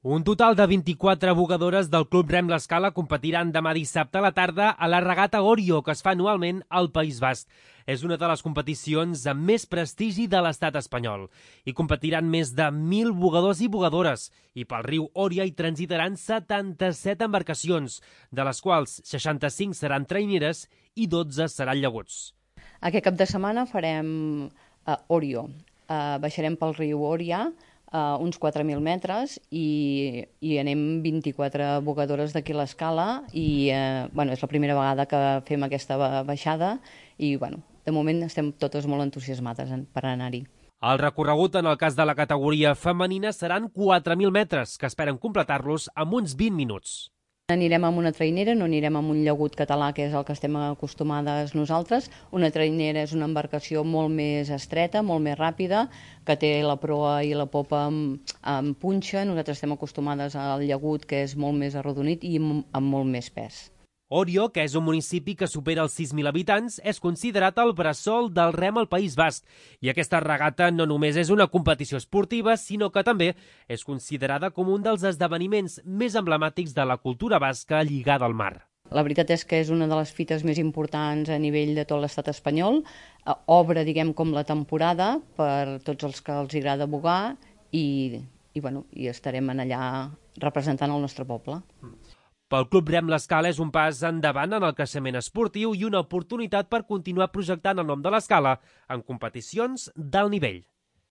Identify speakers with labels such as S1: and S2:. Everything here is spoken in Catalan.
S1: Un total de 24 bugadores del Club Rem l'Escala competiran demà dissabte a la tarda a la regata Orio, que es fa anualment al País Basc. És una de les competicions amb més prestigi de l'estat espanyol. Hi competiran més de 1.000 bugadors i bugadores i pel riu Òria hi transitaran 77 embarcacions, de les quals 65 seran traineres i 12 seran llaguts.
S2: Aquest cap de setmana farem Orio. Baixarem pel riu Òria, uns 4.000 metres i anem 24 bugadores d'aquí a l'Escala i és la primera vegada que fem aquesta baixada i de moment estem totes molt entusiasmades per anar-hi.
S1: El recorregut en el cas de la categoria femenina seran 4.000 metres, que esperen completar-los en uns 20 minuts.
S2: Anirem amb una trainera, no anirem amb un llagut català, que és el que estem acostumades nosaltres. Una trainera és una embarcació molt més estreta, molt més ràpida, que té la proa i la popa amb punxa. Nosaltres estem acostumades al llagut, que és molt més arrodonit i amb molt més pes.
S1: Orio, que és un municipi que supera els 6.000 habitants, és considerat el bressol del rem al País Basc. I aquesta regata no només és una competició esportiva, sinó que també és considerada com un dels esdeveniments més emblemàtics de la cultura basca lligada al mar.
S2: La veritat és que és una de les fites més importants a nivell de tot l'estat espanyol. Obre, com la temporada per tots els que els agrada bugar i estarem allà representant el nostre poble.
S1: Pel Club Rem l'Escala és un pas endavant en el creixement esportiu i una oportunitat per continuar projectant el nom de l'Escala en competicions d'alt nivell.